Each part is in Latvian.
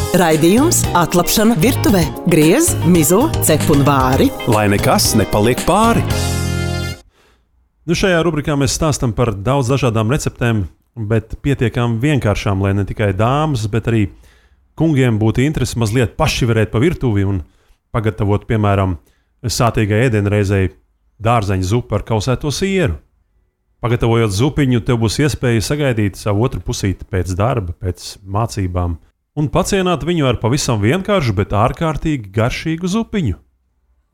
Raidījums Atlapšana virtuvē. Griez, mizo, cep un vāri. Lai nekas nepaliek pāri. Šajā rubrikā mēs stāstam par daudz dažādām receptēm, bet pietiekām vienkāršām, lai ne tikai dāmas, bet arī kungiem būtu interesi mazliet paši varēt pa virtuvi un pagatavot, piemēram, sātīgai ēdienreizei dārzeņu zupu ar kausēto sieru. Pagatavojot zupiņu, tev būs iespēja sagaidīt savu otru pusīti pēc darba, pēc mācībām un pacienāt viņu ar pavisam vienkāršu, bet ārkārtīgi garšīgu zupiņu.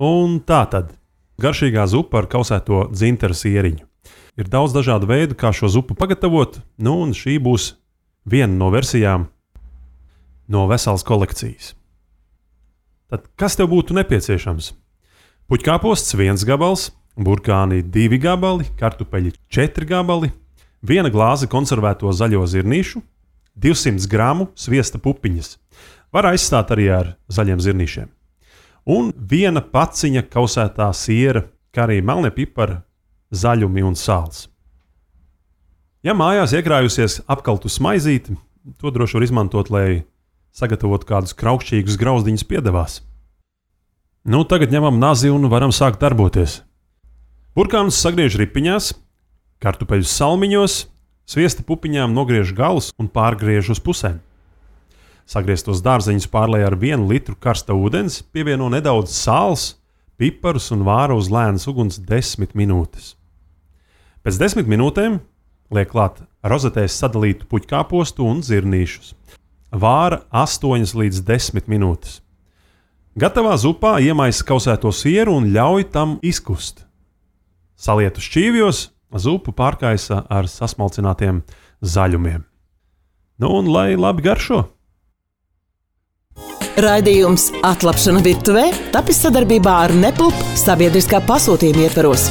Un tā tad garšīgā zupa ar kausēto dzinteru sieriņu. Ir daudz dažādu veidu, kā šo zupu pagatavot, un šī būs viena no versijām no veselas kolekcijas. Tad kas tev būtu nepieciešams? Puķkāposts 1 gabals, burkāni 2 gabali, kartupeļi 4 gabali, 1 glāze konservēto zaļo zirnīšu, 200 gramu sviesta pupiņas. Var aizstāt arī ar zaļiem zirnīšiem. Un 1 paciņa kausētā siera, kā arī melnie pipari, zaļumi un sāls. Ja mājās iekrājusies apkaltu smaizīti, to droši var izmantot, lai sagatavotu kādus kraukšķīgus grauzdiņus piedevās. Tagad ņemam nazi un varam sākt darboties. Burkānus sagriež ripiņās, kartupeļus salmiņos, sviesta pupiņām nogriež galus un pārgriež uz pusēm. Sagrieztos dārzeņus pārlej ar 1 litru karsta ūdens, pievieno nedaudz sāls, piparus un vāra uz lēnas uguns 10 minūtes. Pēc 10 minūtēm liek klāt rozetēs sadalītu puķkāpostu un zirnīšus. Vāra 8 līdz 10 minūtes. Gatavā zupā iemaisa kausēto sieru un ļauj tam izkust. Saliet uz šķīvjos, zupu pārkaisa ar sasmalcinātiem zaļumiem. Un lai labi garšo! Raidījums Atlapšana virtuvē tapis sadarbībā ar Nepulp sabiedriskā pasūtījuma ietvaros.